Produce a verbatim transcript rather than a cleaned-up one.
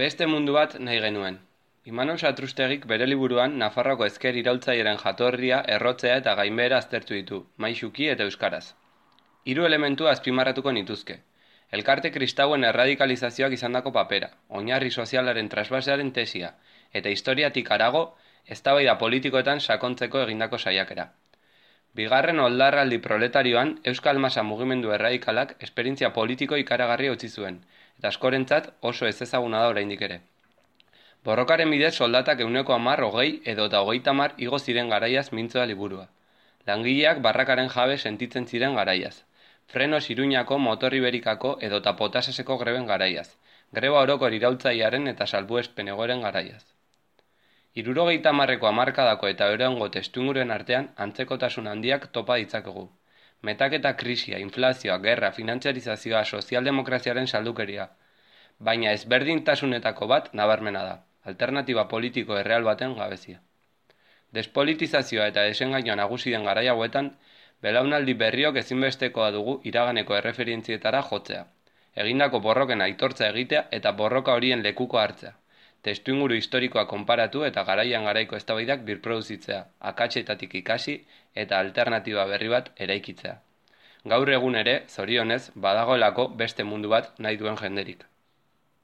Beste mundu bat nahi genuen. Imanol Satrustegik bere liburuan Nafarroako ezker iraultzailearen jatorria, errotzea eta gainbehera aztertu ditu, maisuki eta euskaraz. Hiru elementu azpimarratuko nituzke. Elkarte kristauen erradikalizazioak izandako papera, oinarri sozialaren trasbasearen tesia, eta historiatik harago, eztabaida politikoetan sakontzeko egindako saiakera. Bigarren oldarraldi proletarioan, Euskal Masa mugimendu erradikalak esperientzia politiko ikaragarria utzi zuen, eta askorentzat oso ezezaguna da oraindik ere. Borrokaren bidez soldatak ehuneko hamar, hogei edo eta hogeita hamar igo ziren garaiaz mintzo da liburua. Langileak barrakaren jabe sentitzen ziren garaiaz. Frenos Iruñako, Motor Iberikako edo eta Potaseseko greben garaiaz. Greba orokor iraultzailearen eta salbuespen egoeren garaiaz. Hirurogeita hamarreko hamarkadako eta euraingo testuingururen artean antzekotasun handiak topa ditzakegu. Metaketa krisia, inflazioa, gerra, finantziarizazioa, sozialdemokraziaren saldukeria. Baina ezberdintasunetako bat nabarmena da, alternatiba politiko erreal baten gabezia. Despolitizazioa eta desengainoa nagusi den garai hauetan, belaunaldi berriok ezinbestekoa dugu iraganeko erreferientzietara jotzea. Egindako borroken aitortza egitea eta borroka horien lekuko hartzea. Testuinguru historikoa konparatu eta garaian garaiko eztabaidak birproduzitzea, akatsetatik ikasi eta alternatiba berri bat eraikitzea. Gaur egun ere, zorionez, badagoelako beste mundu bat nahi duen jenderik.